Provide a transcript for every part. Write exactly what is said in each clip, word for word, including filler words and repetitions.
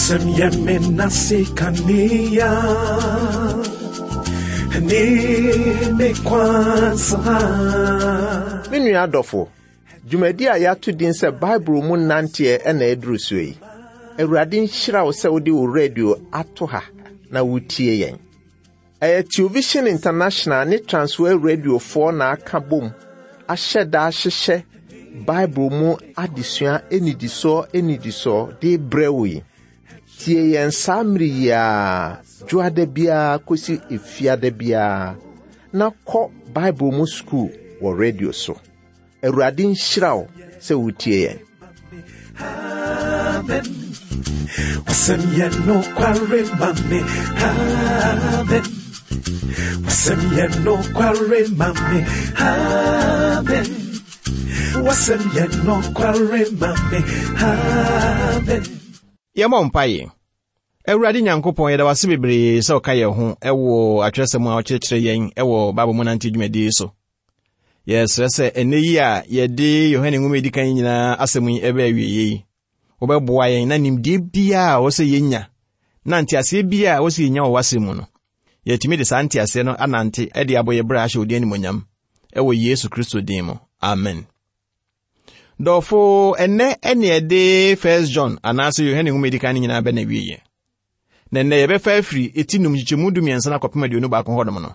Wasɛm yɛ me nase kanea ne me kwansa. Me nua adɔfo, dwumadi a yɛato din sɛ Bible mu nanteɛ ɛna ɛduru so yi. Awurade nhyira wo sɛ wode wo radio ato ha na wotie yɛn. Ɛyɛ Television International ne Transworld Radiofoɔ na aka bom ahyɛ da ahyehyɛ Bible mu adesua anidisoɔ anidisoɔ de brɛ wo yi. Tie yɛn saa mmere yi ara, dwoada biara kɔsi efiada biara, na kɔ Bible mu sukuu wɔ radio so. Awurade nhyira wo sɛ wotie yɛn. Amen. Wasɛm yɛ nokware ma me. Amen. Wasɛm yɛ nokware ma me. Amen. Wasɛm yɛ nokware ma me. Amen. Yɛmmɔ mpaeɛ. Awurade Nyankopɔn, yɛda wase bebree sɛ ɔka yɛn ho ɛwɔ atwerɛsɛm a ɔkyerɛkyerɛ yɛn ɛwɔ Bible mu nante dwumadie so. Yɛsrɛ sɛ ɛnnɛ yi a yɛde Yohane nwoma a ɛdi kan nyinaa asɛm yi ɛbɛ awieeɛ yi, wobɛboa yɛn na nimdeɛ biara a ɛwɔ sɛ yɛnya na nteaseɛ biara a ɛwɔ sɛ yɛnya wɔ w'asɛm mu no, yɛtumi de saa nteaseɛ no anante de abɔ yɛ berɛ ahyɛ wo din animuonyam ɛwɔ Yesu Kristo din mu. Amen. Dɔfo, ɛnnɛ ɛne ɛde First John anaasɛ Yohane nwoma a ɛdi kan no nyinaa bɛ na awieeɛ. Na nnɛ yɛbɛfa afiri eti num nkyekyɛmu du mmiɛnsa no akɔpem aduonu baako hɔnom no.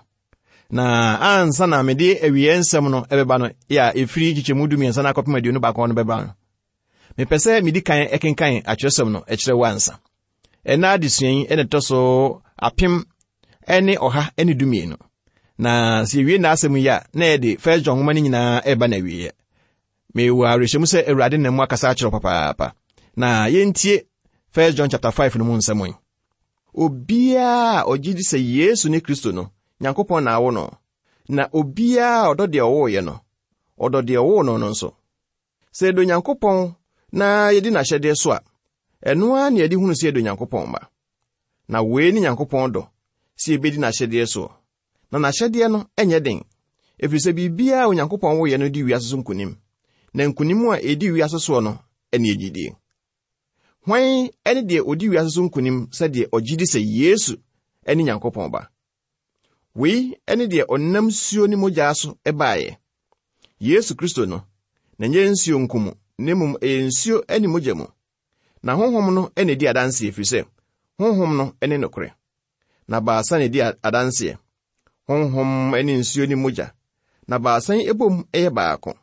Na ansa na mede awieeɛ nsɛm no ɛbɛba no, yɛ a ɛfiri nkyekyɛmu du mmiɛnsa no akɔpem aduonu baako hɔ no bɛba no, mepɛ sɛ medi kan ɛkenkan atwerɛsɛm no ɛkyerɛ wo ansa. Ɛnna adesua yi ɛna ɛtɔ so apem ɛne ɔha ɛne du mmienu. Na sɛ yɛwie n'asɛm yi a, na yɛde First John nwoma no nyinaa ɛreba na awieeɛ. Mewɔ awerɛhyɛmu sɛ Awurade nam mu akasa akyerɛ wo papaapa. Na yɛntie First John chapter five no mu nsɛm yi. Obiara a ɔgye di sɛ Yesu ne Kristo no, Nyankopɔn na awo no. Na obiara a ɔdɔ deɛ ɔwooeɛ no, ɔdɔ deɛ ɔwoo no no nso. Sɛ yɛdɔ Nyankopɔn na yɛdi n'ahyɛdeɛ so a, ɛno ara na yɛde hunu sɛ yɛdɔ Nyankopɔn mma. Na wei ne Nyankopɔn dɔ, sɛ yɛbɛdi n'ahyɛdeɛ soɔ. Na n'ahyɛdeɛ no ɛnyɛ den, ɛfiri sɛ biribiara a Onyankopɔn woeɛ no di wiase so nkonim. Na nkonim a ɛdi wiase soɔ no ɛne gyidie. Hwan ɛne deɛ ɔdi wiase so nkonim sɛdeɛ ɔgye di sɛ Yesu ɛne Nyankopɔn ba? Wei ɛne deɛ ɔnam nsuo ne mogya so ɛbaeɛ. Yesu Kristo no, na ɛnyɛ nsuo nko mu, na mmom ɛyɛ nsuo ne mogya mu. Na honhom no ɛna ɛdi adanseɛ, ɛfiri sɛ honhom no ɛne nokorɛ. Na baasa na ɛdi adanseɛ, honhom ne nsuo ne mogya. Na baasa yi ɛbom ɛyɛ baako.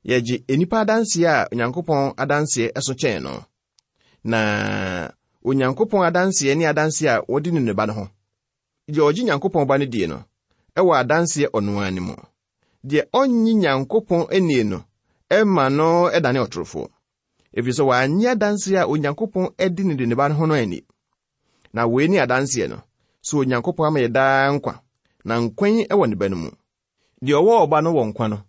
Yɛgye nnipa adanseɛ a Onyankopɔn adanseɛ ɛso kyɛn no. Na Onyankopɔn adanseɛ ne adanseɛ a wɔde ne ne ba no ho. Deɛ ɔgye Nyankopɔn ba no die no, ɛwɔ adanseɛ ɔno ara ne mu. Deɛ ɔnnye Nyankopɔn nie no, ɛma no ɛdane ɔtorofoɔ. Ɛfiri sɛ wannye adanseɛ a Onyankopɔn adi ne de ne ba no ho no ani. Na wei ne adanseɛ no, sɛ Onyankopɔn ama yɛ daa nkwa, na nkwa yi ɛwɔ ne ba no mu. Deɛ ɔwɔ ɔba no wɔ nkwa no,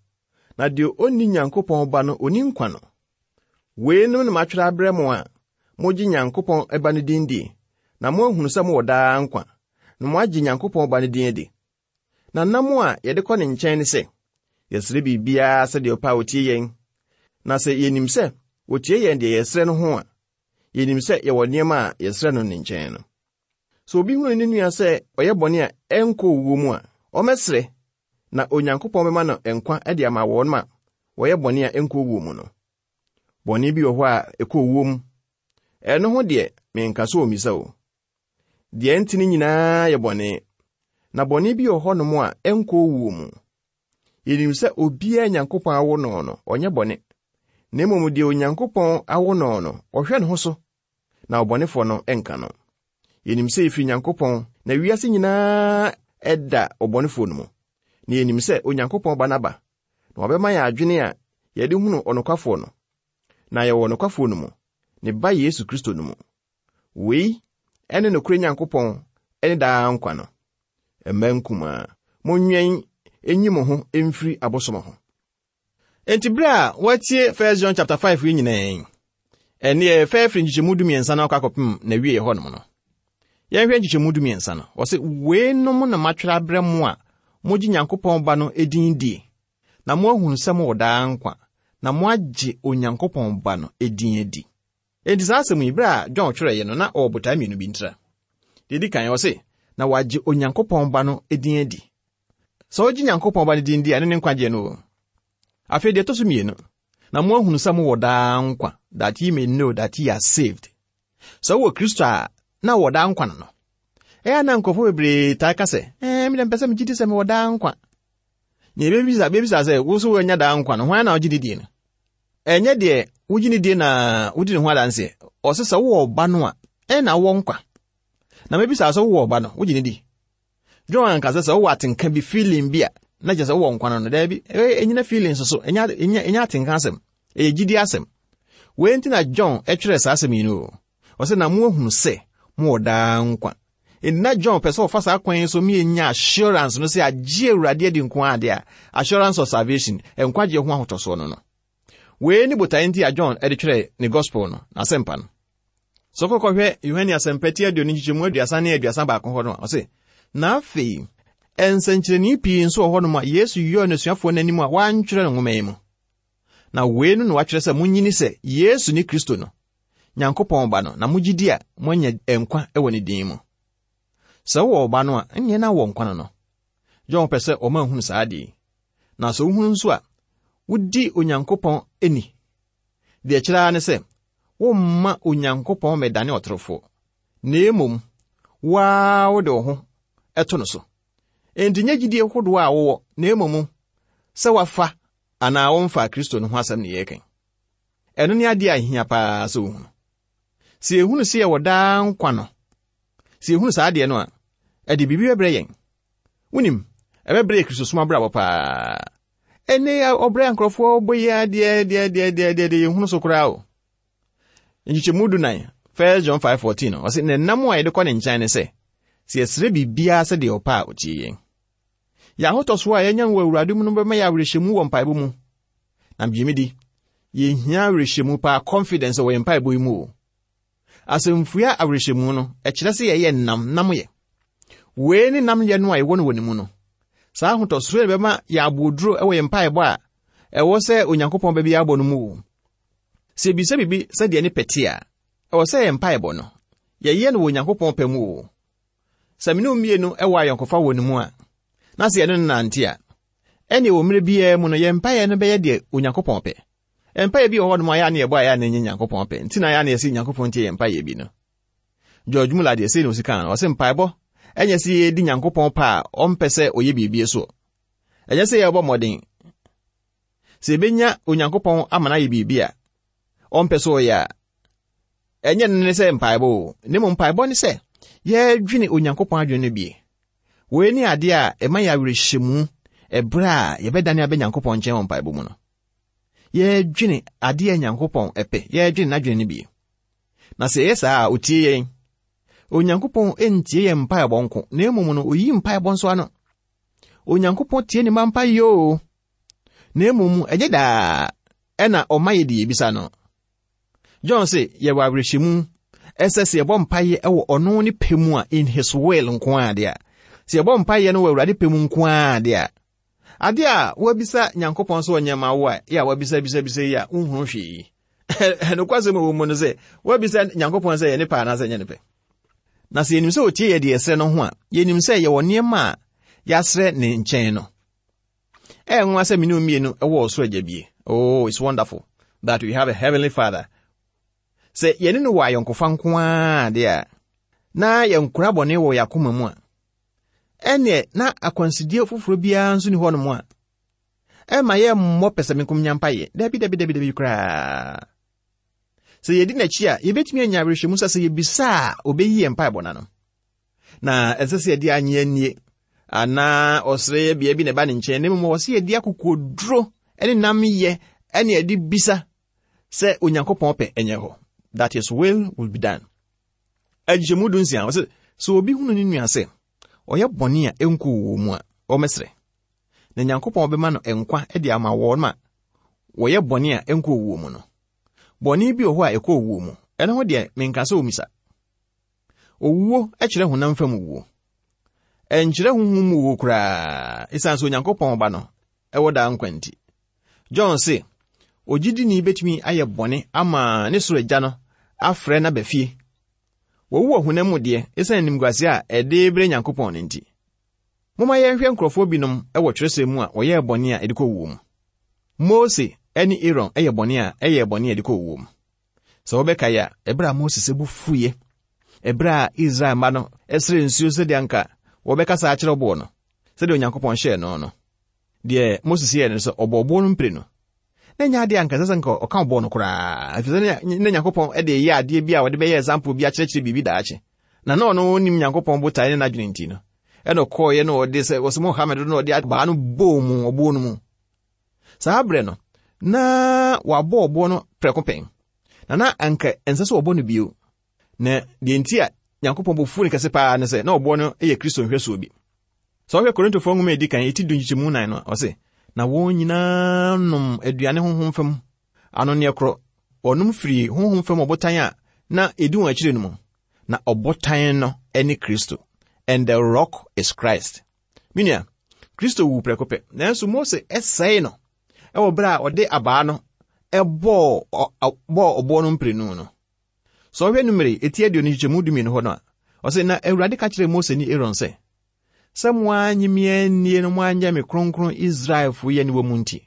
na deɛ ɔnni Nyankopɔn ba no ɔnni nkwa no. Weinom na matwerɛ abrɛ mo a mogye Nyankopɔn ba no din die, na moahunu sɛ mowɔ daa nkwa, na moagye Nyankopɔn ba no din adi. Na nam a yɛde kɔ ne nkyɛn ne sɛ, yɛsrɛ biribiara sɛdeɛ ɔpɛ a ɔtie yɛn. Na sɛ yɛnim sɛ ɔtie yɛn deɛ yɛsrɛ no ho a, yɛnim sɛ yɛwɔ nneɛma a yɛsrɛ no ne nkyɛn no. Sɛ obi hunu ne nua sɛ ɔyɛ bɔne a ɛnkɔ owuo mu a, ɔmmɛsrɛ, na Onyankopɔn bɛma no nkwa de ama wɔn a wɔyɛ bɔne a ɛnkɔ owuo mu no. Bɔne bi wɔ hɔ a ɛkɔ owuo mu. Ɛno ho deɛ, menka sɛ ommisa o. Deɛ ɛnte no nyinaa yɛ bɔne, na bɔne bi wɔ hɔnom a ɛnkɔ owuo mu. Yɛnim sɛ obiara Nyankopɔn awo no no, ɔnyɛ bɔne. Na mmom deɛ Onyankopɔn awo no no, ɔhwɛ ne ho so, na ɔbɔnefoɔ no ɛnka no. Yɛnim sɛ yɛfiri Nyankopɔn, na wiase nyinaa ɛda ɔbɔnefoɔ no mu. Na yɛnim sɛ Onyankopɔn ba no aba, na wabɛma yɛn adwene a yɛde hunu ɔnokwafoɔ no. Na yɛwɔ ɔnokwafoɔ no mu, ne ba Yesu Kristo no mu. Wei ɛne nokorɛ Nyankopɔn ɛne daa nkwa no. Mma nkumaa, monwɛn enyi mo ho mfiri abosom ho. Enti bere a wɔatie First John chapter five yi nyinaa yi, ɛne yɛfɛ firi nkyekyɛmu du mmiɛnsa no akɔ akɔpem na wie hɔnom no. Yɛnhwɛ nkyekyɛmu du mmiɛnsa no. Wɔse, weinom na matwerɛ abrɛ mo a mogye Nyankopɔn ba no din die, na moahunu sɛ mowɔ daa nkwa, na moagye Onyankopɔn ba no din adi. Enti saa asɛm yi, berɛ a John twerɛeɛ no, na ɔwɔ botae mmienu bi ntira. Deɛ ɛdi kan, ɔse, na wagye Onyankopɔn Ba no din adi. Sɛ wogye Nyankopɔn Ba no din di a, ɛno ne nkwagyeɛ no o. Afei deɛ ɛtɔ so mmienu, na moahunu sɛ mowɔ daa nkwa, that ye may know that ye are saved. Sɛ wowɔ Kristo a, na wɔ daa nkwa no no. Ɛyɛ na nkurɔfoɔ bebree taa ka sɛ, ɛɛ, me deɛ mpɛ sɛ megye di sɛ mewɔ daa nkwa. Na yɛbɛbisa bɛbisa sɛ, wo nso woanya daa nkwa no, hwan na wogye ne die no? Ɛnyɛ deɛ wogye ne die na wodi ne ho adanseɛ. Ɔse sɛ wowɔ ɔba no a, ɛna wowɔ nkwa. Na mɛbisa sɛ wowɔ ɔba no, wogye ne di? John anka sɛ sɛ wowɔ atenka bi, feeling bi a, na kyerɛ sɛ wowɔ nkwa no no. Daabi, ɛnyina feeling so so, ɛnyɛ ɛnyɛ atenka asɛm, ɛyɛ gyidi asɛm. Wei nti na John ɛtwerɛ saa asɛm yi no o. Ɔsɛ na moahunu sɛ mowɔ daa nkwa. Enti na John pɛ sɛ ɔfa saa kwan yi so mienya assurance no sɛ agye Awurade adi nko ade a, assurance of salvation, nkwagyeɛ ho ahotɔsoɔ no no. Wei ne botae nti a John ɛde twerɛ ne gospel no, n'asɛmpa no. Sɛ wokɔkɔhwɛ Yohane Asɛmpa ti aduonu nkyekyɛmu aduasa ne aduasa baako hɔ no a, ɔse, na afei, nsɛnkyerɛnne pii nso wɔ hɔnom a Yesu yɔɔ n'asuafoɔ n'anim a wantwerɛ no nwoma yi mu. Na wei no na watwerɛ sɛ monyini sɛ Yesu ne Kristo no, Nyankopɔn Ba no, na mogye di a moanya nkwa wɔ ne din mu. Sɛ wowɔ ɔba no a, ɛnneɛ na wɔ nkwa no no. John pɛ sɛ ɔma nhunu saa adeɛ yi. Na sɛ wohunu nso a, wodi Onyankopɔn ani. Deɛ ɛkyerɛ ara ne sɛ, womma Onyankopɔn mmɛdane ɔtorofoɔ. Na mmom, wo ara wode wo ho ɛto no so. Enti nyɛ gyidie hodoɔ a wowɔ, na mmom sɛ wafa anaa womfa Kristo no ho asɛm ne yɛreka. Ɛno ne adeɛ a ɛhia paa sɛ wohunu. Sɛ yɛhunu sɛ yɛwɔ daa nkwa no, sɛ yɛhunu saa adeɛ no a, ɛde biribi bɛbrɛ yɛn. Wonim, ɛbɛbrɛ yɛ Kristosom abrabɔ paa. Ɛnɛ ɔbrɛ nkurɔfoɔ bɔ yi adeɛ deɛ deɛ deɛ deɛ deɛ yɛhunu so koraa o. Nkyekyɛmu du nan, First John five fourteen, ɔse na nam a yɛde kɔ ne nkyɛn ne sɛ, sɛ yɛsrɛ biribiara sɛdeɛ ɔpɛ a ɔtie yɛn. Yɛn ahotɔsoɔ a yɛanya wɔ Awurade mu no bɛma yɛ awerɛhyɛmu wɔ mpaebɔ mu. Na gye me di, yɛhia awerɛhyɛmu paa, confidence wɔ yɛn mpaebɔ yi mu o. Asɛmfua awerɛhyɛmu no, ɛkyerɛ sɛ yɛyɛ nam, nam yɛ. Wei ne nam yɛ no a yɛwɔ no wɔ ne mu no. Saa ahotɔsoɔ yi bɛma yɛ aboɔduro wɔ yɛn mpaebɔ a ɛwɔ sɛ Onyankopɔn bɛbi abɔ no mu o. Sɛ yɛbisa biribi sɛdeɛ ne pɛ te a, ɛwɔ sɛ yɛn mpaebɔ no, yɛyɛ no wɔ Onyankopɔn pɛ mu o. Sɛ me ne wo mmienu wɔ ayɔnkofa wɔ ne mu a, na sɛ yɛne no nante a, ɛnneɛ wɔ mmerɛ biara mu no, yɛn mpaeɛ no bɛyɛ deɛ Onyankopɔn pɛ. Mpaeɛ bi wɔ hɔnom a yɛa ne yɛbɔ a yɛa ne nyɛ Nyankopɔn pɛ. Nti na yɛa ne yɛsɛ Nyankopɔn tie yɛn mpaeɛ bi no. George Muller deɛ sei na osi kan no, ɔse mpaebɔ ɛnyɛ sɛ yɛdi Nyankopɔn pɛ a ɔmpɛ sɛ ɔyɛ biribi so. Ɛnyɛ sɛ yɛbɔ mmɔden. Sɛ yɛbɛnya Onyankopɔn ama no ayɛ biribi a ɔmpɛ sɛ ɔyɛ a, ɛnyɛ no ne sɛ mpaebɔ o. Na mmom mpaebɔ ne sɛ yɛdwene Onyankopɔn adwene no bie. Wei ne adeɛ a ɛma yɛ awerɛhyɛmu ɛberɛ a yɛbɛdane abɛ Nyankopɔn nkyɛn wɔ mpaebɔ mu no. Yɛdwene adeɛ a Nyankopɔn ɛpɛ, yɛdwene n'adwene no bie. Na sɛ ɛyɛ saa a, otie yɛn. Onyankopɔn ntie yɛn mpaebɔ nko, na mmom no, oyi mpaebɔ nso ano. Onyankopɔn tie ne mma mpaeɛ o. Na mmom, ɛnyɛ daa ɛna ɔma yɛ deɛ yɛbisa no. John se, yɛwɔ awerɛhyɛmu ɛsɛ sɛ yɛbɔ mpaeɛ ɛwɔ ɔno ne pɛ mu a, in his will nko ara deɛ a. Sɛ yɛbɔ mpaeɛ no wɔ Awurade pɛ mu nko ara deɛ a, adeɛ a woabisa Nyankopɔn sɛ ɔnyɛ ma wo a, yɛ a woabisa bisa bisa yi a, wonhunu hwee. Nokwasɛm a ɛwɔ mu no sɛ, woabisa Nyankopɔn sɛ yɛ ne pɛ anaasɛ nyɛ ne pɛ. Na sɛ yɛnim sɛ ɔtie yɛ deɛ yɛsrɛ no ho a, yɛnim sɛ yɛwɔ nneɛma a yɛasrɛ ne nkyɛn no. Ɛyɛ nwanwa sɛ me ne wo mmienu wɔ ɔsoro agya bie. Oh, it's wonderful that we have a heavenly father. Sɛ yɛne no wɔ ayɔnkofa nko ara deɛ a, na yɛnkora bɔne wɔ yɛn akoma mu a, ɛneɛ na akwansideɛ foforɔ biara nso ni hɔnom a, ɛma yɛmmɔ pɛsɛmenkomenya mpaeɛ. Dabi, dabi, dabi, dabi koraa. Sɛ yɛdi n'akyi a, yɛbɛtumi anya awerɛhyɛmu sɛ sɛ yɛbisa a, ɔbɛyi yɛn mpaebɔ n'ano. Na ɛnsɛ sɛ yɛde anyɛ anie anaa ɔsrɛ bea bi na ɛba ne nkyɛn, na mmom wɔ sɛ yɛde akokoduro ne nam yɛ ɛne yɛde bisa sɛ Onyankopɔn pɛ ɛnyɛ hɔ. That his will will be done. Agyemu du nsia, ɔsɛ sɛ obi hunu ne nua sɛ ɔyɛ bɔne a ɛnkɔ wɔ mu a, ɔmmɛsrɛ. Na Nyankopɔn bɛma no nkwa de ama wɔn a wɔyɛ bɔne a ɛnkɔ wɔ mu no. Bɔne bi wɔ hɔ a ɛkɔ owuo mu. Ɛno ho deɛ menka sɛ omisa. Owuo kyerɛ honam fam owuo. Ɛnkyerɛ honhom mu owuo koraa, ɛsiane sɛ Onyankopɔn ba no ɛwɔ daa nkwa nti. John se, ogyidini betumi ayɛ bɔne ama ne soro agya no afrɛ no aba fie. Wɔwu wɔ honam mu deɛ, esiane animguase a ɛde brɛ Nyankopɔn no nti. Momma yɛnhwɛ nkurɔfoɔ binom wɔ twerɛsɛm mu a wɔyɛɛ bɔne a ɛde kɔ owuo mu. Mose ne Aaron yɛ bɔne a ɛyɛ bɔne a ɛde kɔ owuo mu. Sɛ wɔbɛkae a, ɛberɛ a Mose bo fuiɛ, ɛberɛ a Israel mma no srɛ nsuo sɛdeɛ anka wɔbɛkasa akyerɛ ɔboɔ no, sɛdeɛ Onyankopɔn hyɛɛ no no, deɛ Moses yɛɛ no sɛ ɔbɔ ɔboɔ no mprenu. Na nyɛ adeɛ anka ɛsɛ sɛ nka ɔka ɔboɔ no koraa, ɛfiri sɛ na Nyankopɔn de yɛ adeɛ bi a wɔde bɛyɛ example bi akyerɛkyerɛ biribi daakye. Na na ɔno nim Nyankopɔn botae ne n'adwene nti no, ɛna ɔkɔɔeɛ na ɔde sɛ wɔsɛ Mohammed no ɔde abaa no bɔɔ mu ɔboɔ no mu. Saa berɛ no, na wabɔ ɔboɔ no prɛko pɛn, na na anka ɛnsɛ sɛ ɔbɔ no bio. Na deɛ nti a Nyankopɔn bo fuu no kɛse paa ne sɛ na ɔboɔ no yɛ Kristo nhwɛsoɔ bi. Sɛ wohwɛ Korintofoɔ nwoma a ɛdi kan ɛti du nkyekyɛmu nan no a, ɔse, na wɔn nyinaa nom aduane honhom fam anonneɛ korɔ. Wɔnom firi honhom fam ɔbotan a na ɛdi wɔn akyire no mu. Na ɔbotan no ne Kristo. And the rock is Christ. Menua, Kristo wu prɛko pɛ, nanso Mose ɛsɛe no ɛwɔ berɛ a ɔde abaa no ɛbɔɔ bɔɔ ɔboɔ no mprenu no. Sɛ ɔhwɛ Numeri eti aduonu nkyekyɛmu dumienu hɔ no a, ɔse, na Awurade ka kyerɛɛ Mose ne Aaron sɛ, sɛ mo annye me annie no mo anyɛ me kronkron Israelfo yi aniwa mu nti,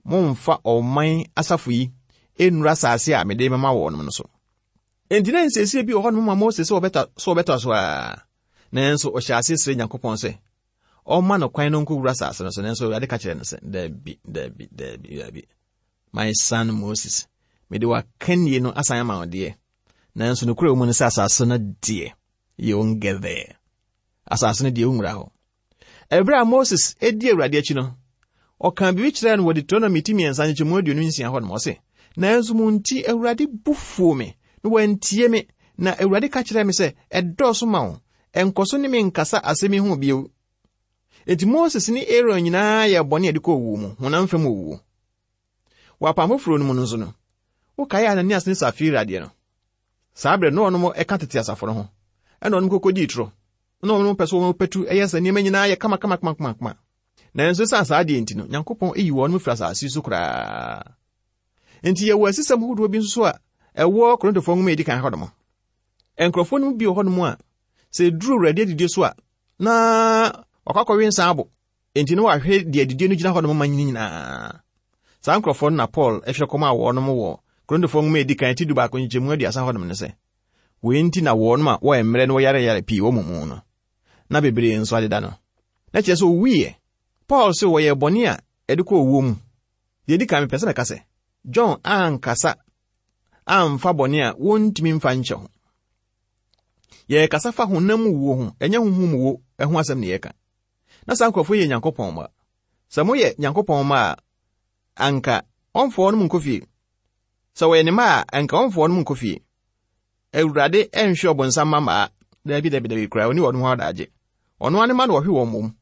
momfa ɔman asafo yi nnuru asase a mede mema wɔn no so. Enti na nsiesie bi wɔ hɔnom ma Mose sɛ ɔbɛta so ɔbɛtɔ so a, nanso ɔhyɛ ase srɛ Nyankopɔn sɛ ɔmma no kwan no nkɔwura asase no so, nanso Awurade ka kyerɛ no sɛ, daabi, daabi, daabi, daabi. My son Moses, mede w'akannie no asan ama wo deɛ, nanso nokorɛ wɔ mu no sɛ asase no deɛ, you won't get there. Asase no deɛ wonwura hɔ. Ɛberɛ a Moses edi Awurade akyi no, ɔka biribi kyerɛɛ no wɔ Deuteronomy ti mmiɛnsa nkyekyɛmu aduonu nsia hɔ nom, ɔse, nanso mo nti Awurade bo fuo me, na wantie me, na Awurade ka kyerɛɛ me sɛ, ɛdɔɔso ma wo, ɛnkɔ so ne me nkasa asɛm yi ho bio. Enti Moses ne Aaron nyinaa yɛ bɔne a ɛde kɔ owuo mu, honam fam owuo. Wɔ apam foforɔ no mu no nso no, wokae Ananias ne Safira deɛ no. Saa berɛ no ɔnom ɛka tete asafo no ho, ɛna ɔnom kɔkɔdii torɔ, na ɔnom pɛ sɛ wɔn pɛtu ɛyɛ sɛ nneɛma nyinaa yɛ kama kama kama kama kama. Nanso ɛsiane saa adeɛ nti no, Nyankopɔn eyi wɔn firi asase so koraa. Enti yɛwɔ asisɛm ahodoɔ bi nso so a ɛwɔ Korintofoɔ nwoma a ɛdi kan hɔnom. Nkurɔfoɔ no bi wɔ hɔnom a sɛ ɛduru Awurade adidie so a, na wakɔ akɔwe nsa abo. Enti na wahwɛ deɛ adidie no gyina hɔnom ma nyinaa. Saa nkurɔfoɔ no na Paul ɛhwɛ kɔm a wɔnom wɔ Korintofoɔ nwoma a ɛdi kan ti du baako nkyekyɛmu aduasa hɔnom no sɛ, wei nti na wɔnom a wɔyɛ mmerɛ na wɔyareyare pii wɔ mo mu no, na bebree nso adeda no. Na kyerɛ sɛ owuiɛ. Paul sɛ wɔyɛ bɔne a ɛde kɔ owuo mu. Deɛ ɛdi kan mepɛ sɛ mɛka sɛ, John ankasa amfa bɔne a wɔntumi mfa nkyɛ ho. Yɛrekasa fa honam mu wuo ho, ɛnyɛ honhom mu wuo ho asɛm na yɛreka. Na saa nkurɔfoɔ yɛ Nyankopɔn mma. Sɛ moyɛ Nyankopɔn mma a, anka ɔmfa wɔn nkɔ fie. Sɛ wɔyɛ ne mma a, anka ɔmfa wɔn nkɔ fie. Awurade ɛnhwɛ ɔbonsam mma mmaa. Daabi, daabi, daabi koraa, ɔne wɔn ho adagye. Ɔno ara ne mma na ɔhwe wɔn mmom.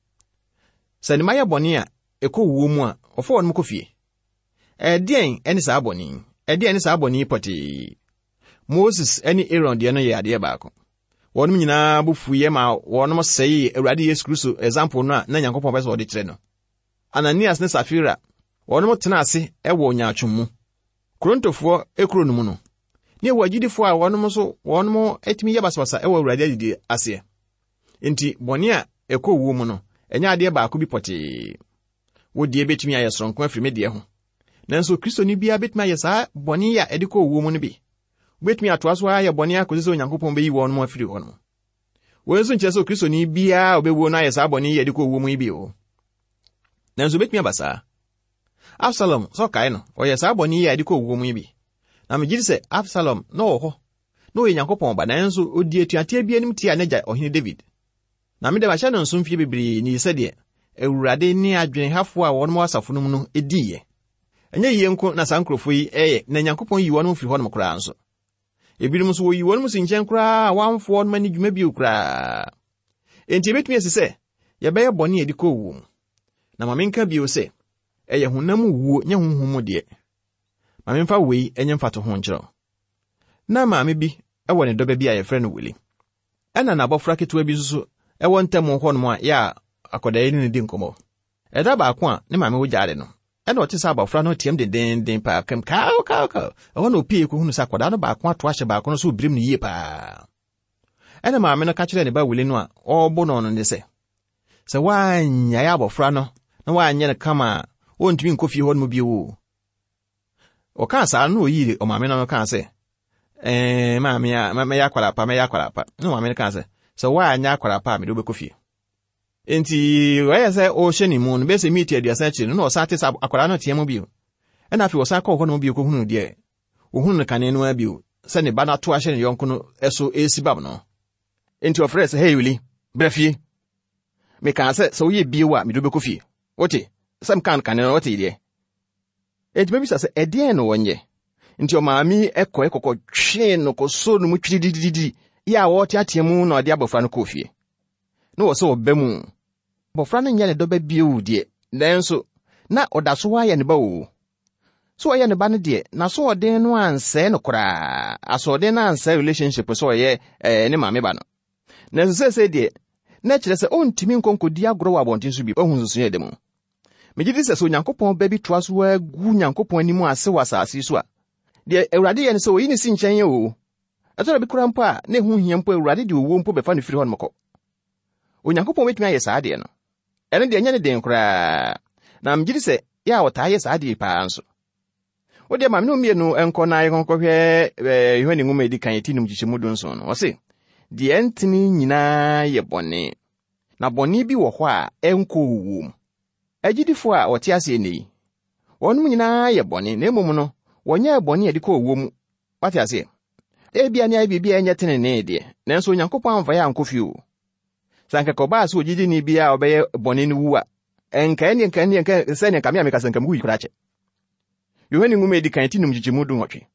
Sɛ ne mma yɛ bɔne a ɛkɔ wuo mu a, ɔfa wɔn kɔ fie. Ɛdeɛn ne saa bɔne yi? Ɛdeɛn ne saa bɔne yi pɔtee? Moses ne Aaron deɛ no yɛ adeɛ baako. Wɔn nyinaa bo fuiɛ ma wɔn sɛee Awurade Yesu Kristo example no a na Nyankopɔn pɛ sɛ ɔde kyerɛ no. Ananias ne Safira, wɔn tena ase wɔ nyaatwom mu. Korintofoɔ ekuro no mu no, ne ɛwɔ agyidifoɔ a wɔn nso wɔn atumi yɛ basabasa wɔ Awurade adidie aseɛ. Enti bɔne a ɛkɔ owuo mu no, ɛnyɛ adeɛ baako bi pɔtee. Wo deɛ bɛtumi ayɛ soronko afiri me deɛ ho. Nanso Kristoni biara bɛtumi ayɛ saa bɔne a ɛde kɔ owuo mu no bi. Wobɛtumi atoa so ayɛ bɔne akɔsi sɛ Onyankopɔn bɛyi wɔn mu afiri hɔ no. Wei nso nkyerɛ sɛ Kristoni biara a ɔbɛwuo no ayɛ saa bɔne yi a ɛde kɔ owuo mu yi bi o. Nanso obɛtumi aba saa. Absalom, sɛ ɔkae no, ɔyɛ saa bɔne yi a ɛde kɔ owuo mu yi bi. Na megye di sɛ Absalom na ɔwɔ hɔ, na ɔyɛ Nyankopɔn ba, nanso ɔdi atuateɛ bi anim tia n'agya ɔhene David. Na mede mahyɛ no nso mfie bebree ni sɛdeɛ Awurade ne adwenehafoɔ a wɔn wɔ asafo no mu no diiɛ. Ɛnyɛ yie nko na saa nkurɔfoɔ yi ɛyɛ, na Nyankopɔn yi wɔn firi hɔnom koraa nso. Ebinom nso wɔyi wɔn si nkyɛn koraa a wɔamfo wɔn ani dwuma bio koraa. Enti ebetumi asi sɛ yɛbɛyɛ bɔne a ɛde kɔ owuo mu. Na ma menka bio sɛ, ɛyɛ honam mu wuo nyɛ honhom mu deɛ. Ma memfa wei nyɛ mfatoho nkyerɛ wo. Na maame bi wɔ ne dɔba bi a yɛfrɛ no Wili. Ɛna n'abɔfra ketewa bi nso so ɛwɔ ntam hɔnom a yɛ a akwadaa yi ne no di nkɔmmɔ. Ɛda baako a ne maame wɔ gyaade no, Ɛna ɔte sɛ abɔfra no team dendenden paa kam kaw kaw kaw. Ɛhɔ na opie kɔhunu sɛ akwadaa no baako ato ahyɛ baako no so birim no yie paa. Ɛna maame no ka kyerɛɛ ne ba Wili no a ɔrebɔ no no ne sɛ, sɛ woannyae abɔfra no na woanyɛ no kama a, wɔntumi nkɔ fie hɔ no mu bio o. Ɔkaa saa no na oyii ɔmaame no kaa sɛ, ɛɛ maame a mɛyɛ akwadaa pa mɛyɛ akwadaa pa. Na maame no kaa sɛ, sɛ woanyɛ akwadaa pa a mede wobɛkɔ fie. Enti wɔyɛ sɛ ɔrehyɛ ne mu no bɛsɛ miiti aduasa akyiri no na ɔsan te sɛ akwadaa no teɛ mu bio. Ɛna afei ɔsan kɔɔ hɔ nom bio kɔhunu deɛ ohunu no kane no ara bio sɛ ne ba no ato ahyɛ ne yɔnko no so esi bam no. Enti ɔfrɛɛ sɛ, "Hey Wili, bra fie. Mekaa sɛ sɛ woyɛ bio a mede wobɛkɔ fie. Wote, sɛ mekaa no kane no wote deɛ." Enti mabisa sɛ ɛdeɛn na wɔnyɛ? Nti ɔmaame ɛkɔɛ kɔkɔtwee no kɔsoo no mu twiridididi yɛ a wɔreteatea mu na ɔde abɔfra no kɔɔ fie. Na wɔ sɛ ɔba mu. Abɔfra no nyɛ ne dɔba bio deɛ, nanso na ɔda so ayɛ ne ba o. So ɔyɛ ne ba no deɛ, n'asoɔden no ansɛe no koraa. Asoɔden no ansɛe relationship sɛ ɔyɛ ɛɛ ne maame ba no. Nanso seesei deɛ, na kyerɛ sɛ ɔntumi nkɔ nkɔdi agorɔ wɔ abɔnten so bi. Ɔhu nsusuiɛ da mu. Megye di sɛ sɛ Onyankopɔn ba bi toa so agu Nyankopɔn anim ase wɔ asase yi so a, deɛ Awurade yɛ no sɛ oyi ne si nkyɛn o. Ɛtɔ da bi koraa mpo a, na ɛho hia mpo Awurade de owuo mpo bɛfa no firi hɔ nom kɔ. Onyankopɔn bɛtumi ayɛ saa adeɛ no. Ɛno deɛ ɛnyɛ ne den koraa. Na megye di sɛ yɛ a ɔtaa yɛ saa adeɛ paa nso. Wo deɛ maame no mmienu nkɔ na yɛnkɔhwɛ ɛɛ Yohane nwoma a edi kan ti num nkyekyɛmu du nson no. Ɔse, deɛ ɛntene nyinaa yɛ bɔne. Na bɔne bi wɔ hɔ a ɛnkɔ owuo mu. Agyidifoɔ a wɔte ase nnɛ yi, wɔnom nyinaa yɛ bɔne, na mmom no, wɔnyɛɛ bɔne a ɛde kɔ owuo mu. Wate aseɛ? Ebia ne ayɛ biribi a ɛnyɛ tenenee deɛ, nanso Onyankopɔn amfa yɛ ankɔ fie o. Sɛ anka kɔbaa sɛ ogyidini bi a ɔbɛyɛ bɔne no wu a, ɛnka ɛne nka ɛne nka sɛ nka me a meka sɛ nka mewui koraa kyɛ. Yohane nwoma a edi kan ti num nkyekyɛmu du nwɔtwe.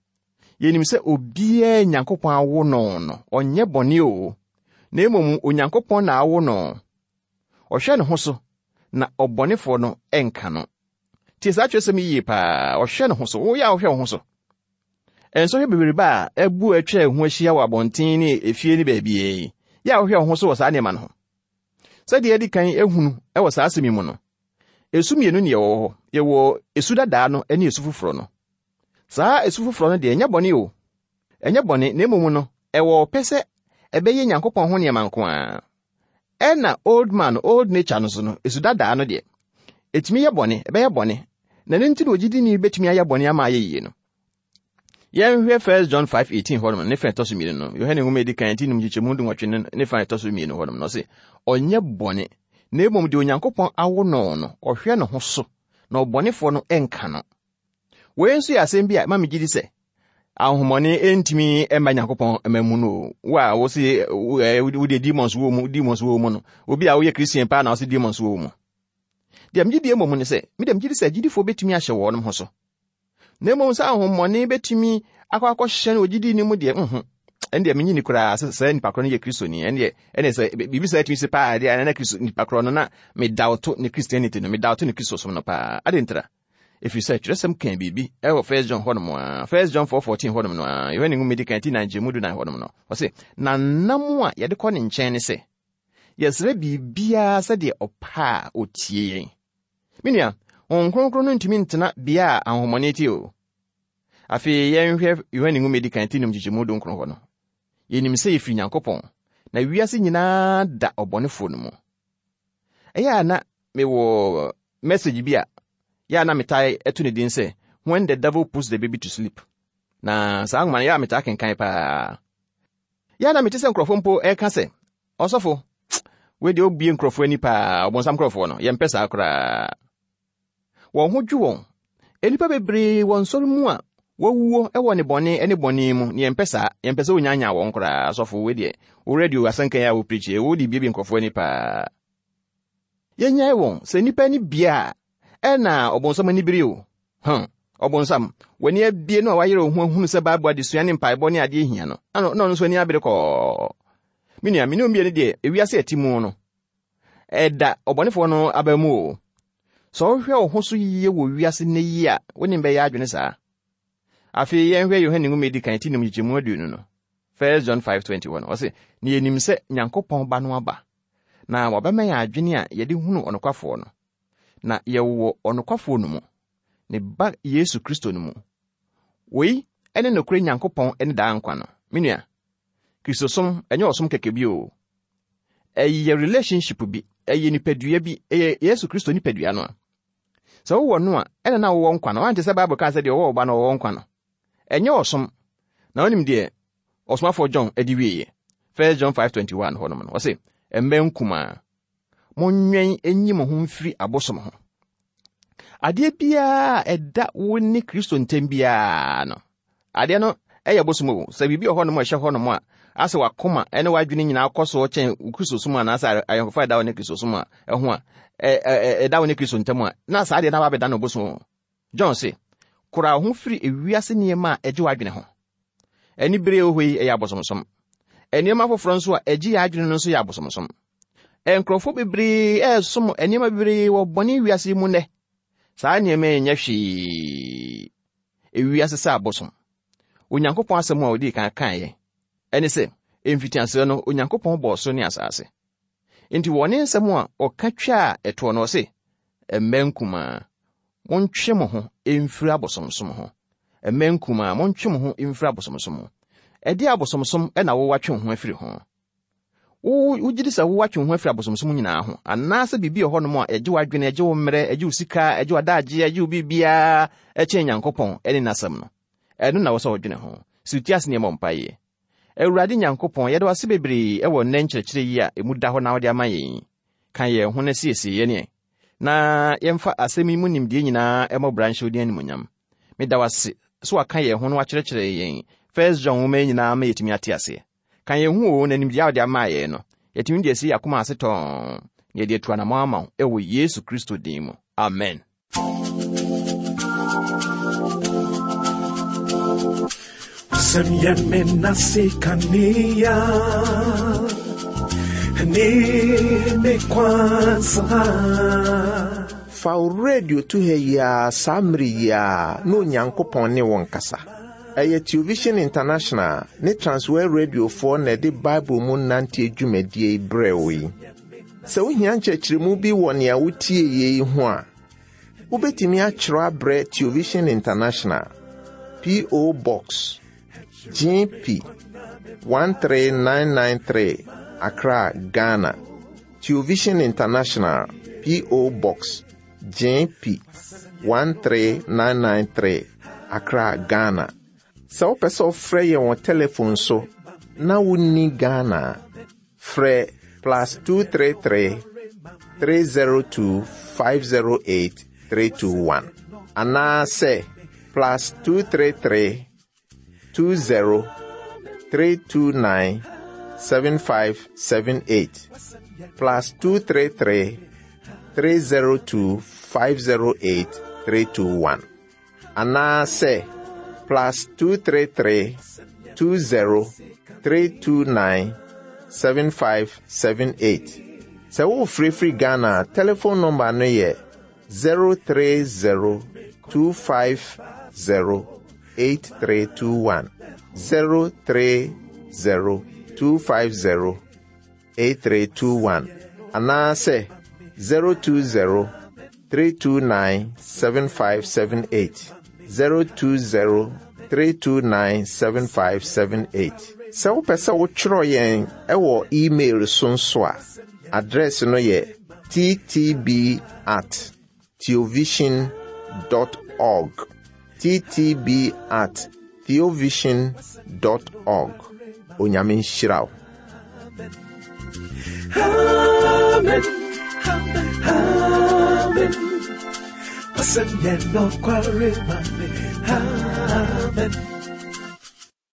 Yɛnim sɛ obiara Nyankopɔn awo no no, ɔnyɛ bɔne o. Na mmom Onyankopɔn na awo no. Ɔhwɛ ne ho so, na ɔbɔnefoɔ no ɛnka no. Tie saa kyerɛsɛm yi yie paa, ɔhwɛ ne ho so, woyɛ a wohwɛ wo ho so. Nsɔhwɛ bebrebe a ɛbu atwa ho ahyia wɔ abɔnten ne efie ne baabi yi, yɛ a wohwɛ wo ho so wɔ saa nneɛma no ho. Sɛdeɛ yɛdi kan ehunu ɛwɔ saa asɛm yi mu no, esu mmienu ne yɛwɔ hɔ. Yɛwɔ esu dadaa no ne esu foforɔ no. Saa esu foforɔ no deɛ ɛnyɛ bɔne o. Ɛnyɛ bɔne, na mmom no, ɛwɔ ɔpɛ sɛ ɛbɛyɛ Nyankopɔn ho nneɛma nko ara. Ɛna old man, old nature no so no, esu dadaa no deɛ, ɛtumi yɛ bɔne, ɛbɛyɛ bɔne. Na ne nti na ogyidini bɛtumi ayɛ bɔne ama ayɛ yie no. Yɛnhwɛ First John five eighteen hɔnom ne fa ɛtɔ so mmienu no. Yohane nwoma a edi kan ti num nkyekyɛmu du nwɔtwe ne ne fa ɛtɔ so mmienu hɔnom no, ɔse, ɔnyɛ bɔne, na mmom deɛ Onyankopɔn awo no no, ɔhwɛ ne ho so, na ɔbɔnefoɔ no ɛnka no. Wei nso yɛ asɛm bi a ɛma me gye di sɛ ahonhommɔne ntumi mma Nyankopɔn mma mu no o. Wo a wo se, wo, ɛ, wo deɛ demons wɔ mu, demons wɔ mu no, obi a woyɛ Christian paa na wo se demons wɔ mu. Deɛ megye die mmom ne sɛ, me deɛ megye di sɛ agyidifoɔ bɛtumi ahyɛ wɔn ho so. Na mmom sɛ ahonhommɔne bɛtumi akɔ akɔhyɛ no ogyidi no mu deɛ, nhu. Ɛno deɛ menye ni koraa sɛ saa nipa korɔ no yɛ Kristoni. Ɛno deɛ, ɛne sɛ biribi saa tumi si paa deɛ, ɛna Kristo nipa korɔ no na medawto ne Christianity no, medawto ne Kristosom no paa. Ade ntira. Ɛfiri sɛ twerɛsɛm kan biribi ɛwɔ First John hɔnom a, First John four fourteen hɔnom no a, Yohane nwoma edi kan ti nine nkyɛmu du nan hɔnom no. Ɔse, na nam a yɛde kɔ ne nkyɛn ne sɛ, yɛsrɛ biribiara sɛdeɛ ɔpɛ a otie yɛn. Me nua, Honhom Kronkron no ntumi ntena bea a ahonhommɔne te o. Afei yɛnhwɛ Yohane nwoma edi kan ti num nkyekyɛmu du nkron hɔ no. Yɛnim sɛ yɛfiri Nyankopɔn, na wiase nyinaa da ɔbɔnefoɔ no mu. Ɛyɛ a na mewɔ message bi a yɛ a na metae ɛto ne din sɛ When the Devil Puts the Baby to Sleep. Na saa nwoma no yɛ a metaa kenkan paa. Yɛ a na mete sɛ nkurɔfoɔ mpo ɛka sɛ, ɔsɔfo, wei deɛ obue nkurɔfoɔ ani paa, ɔbɔnsam nkurɔfoɔ no, yɛmpɛ saa koraa. Wɔn ho dwo wɔn. Nnipa bebree wɔ nsɔre mu a wɔawuo wɔ ne bɔne ne bɔne mu, ne yɛmpɛ saa, yɛmpɛ sɛ wonyanyan wɔn koraa. Asɔfo, wei deɛ, wo radio asɛnka yi a wo preach yi, wode biebie nkurɔfoɔ ani paa. Yɛnyae wɔn sɛ nnipa ani bie a, ɛna ɔbɔnsam ani bere o. Hmm, ɔbɔnsam, w'ani abie no a wayerɛ wo ho ahunu sɛ Bible adesua ne mpaebɔ ne adeɛ hia no, ano, na ɔno nso ani abere kɔɔ. Me nua, me ne wo mmienu deɛ, ewiase a ɛte mu no, ɛda ɔbɔnefoɔ no aba mu o. Sɛ wohwɛ wo ho so yie wɔ wiase nnɛ yi a, wo ne bɛyɛ adwene saa. Afei yɛnhwɛ Yohane nwoma a edi kan ti num nkyekyɛmu aduonu no. First John five twenty one. Ɔse, na yɛnim sɛ Nyankopɔn ba no aba, na wabɛma yɛn adwene a yɛde hunu ɔnokwafoɔ no. Na yɛwɔ ɔnokwafoɔ no mu, Ne ba Yesu Kristo no mu. Wei ne nokorɛ Nyankopɔn ne daa nkwa no. Me nua, Kristosom ɛnyɛ ɔsom kɛkɛ bi o. Ɛyɛ relationship bi, ɛyɛ nipadua bi, ɛyɛ Yesu Kristo nipadua no a. Sɛ wowɔ no a, ɛna na wowɔ nkwa no. Wante sɛ Bible kaa sɛ deɛ ɔwɔ ɔba no ɔwɔ nkwa no. Ɛnyɛ ɔsom. Na wonim deɛ ɔsomafoɔ John de wieɛ. First John five twenty-one hɔnom no. Ɔse, mma nkumaa, monwɛn enyi mo ho mfiri abosom ho. Adeɛ biara a ɛda wo ne Kristo ntam biara no, adeɛ no ɛyɛ bosom o. Sɛ biribi wɔ hɔnom a ɛhyɛ hɔnom a, asɛ wakoma ne w'adwene nyinaa kɔ so kyɛn Kristo som anaasɛ ayɔnkofa ɛda wo ne Kristo som a ɛho a, ɛda wo ne Kristo ntam a, na saa adeɛ no aba abɛda no bosom. John se, kora wo ho firi ewiase nneɛma a ɛgye w'adwene ho. Ani bere wɔ hɔ yi ɛyɛ abosomsom. Nneɛma foforɔ nso a ɛgye yɛ adwene no nso yɛ abosomsom. Nkurɔfoɔ bebree ɛresom nneɛma bebree wɔ bɔne wiase yi mu nnɛ. Saa nneɛma yi nyɛ hwee. Ewiase sɛ abosom. Onyankopɔn asɛm a odii kan kaeɛ ɛne sɛ, mfitiaseɛ no Onyankopɔn bɔɔ soro ne asase. Enti wɔ ne nsɛm a ɔka twaa ɛtoɔ no, ɔse, mma nkumaa, montwe mo ho mfiri abosomsom ho. Mma nkumaa, montwe mo ho mfiri abosomsom ho. Ɛde abosomsom ɛna wowatwe wo ho afiri ho. Wogye di sɛ wowatwe wo ho afiri abosomsom nyinaa ho, anaasɛ biribi wɔ hɔnom a ɛgye w'adwene, ɛgye wo mmerɛ, ɛgye wo sika, ɛgye w'adagye, ɛgye wo biribiara ɛkyɛn Nyankopɔn ɛne n'asɛm no? Ɛno na wɔ sɛ wɔdwene ho. Si wo ti ase nneɛma mpaeɛ. Awurade Nyankopɔn, yɛde wase bebree ɛwɔ nnɛ nkyerɛkyerɛ yi a emu da hɔ na wode ama yɛn. Ka yɛn ho na siesie yɛn na yɛmfa asɛm yi mu nimdeɛ nyinaa ɛmmɔ bra nhyɛ wo din animuonyam. Meda wase so waka yɛn ho na wakyerɛkyerɛ yɛn First John nwoma yi nyinaa ma yɛtumi ate aseɛ. Ka yɛn ho o, na nimdeɛ a wode ama yɛn no, yɛtumi de asi yɛn akoma ase tɔn na yɛde atu anammɔn ama wo ɛwɔ Yesu Kristo din mu. Amen. Wasɛm yɛ me nase kanea ne me kwansa. Fa wo radio to ha yi ara saa mmere yi ara na Onyankopɔn ne wo nkasa. Ɛyɛ Television International ne Transworld Radiofoɔ na ɛde Bible mu nanteɛ dwumadie yi brɛ wo yi. Sɛ wohia nkyerɛkyerɛmu bi wɔ nea wotie yi ho a, wobɛtumi akyerɛw abrɛ Television International, P O. Box G P one three nine nine three, Accra, Ghana. Television International, P O. Box G P one three nine nine three, Accra, Ghana. Sɛ wopɛ sɛ wofrɛ yɛn wɔ telephone so na wonni Ghana a, frɛ plus two three three, three zero two five zero eight three two one anaasɛ plus two three three, two zero three two nine seven five seven eight, plus two three three, three zero two five zero eight three two one anaasɛ plus two three three, two zero three two nine seven five seven eight. Sɛ wofirifiri Ghana a, telephone number no yɛ zero three zero two five zero eight three two one, zero three zero two five zero eight three two one anaasɛ zero two zero three two nine seven five seven eight, zero two zero three two nine seven five seven eight. Sɛ wopɛ sɛ wotwerɛ yɛn ɛwɔ email so nso a, address no yɛ T T B at theovision dot org, T T B at theovision dot org. Onyame nhyira wo. Amen. Amen. Wasɛm yɛ nokware ma me. Amen.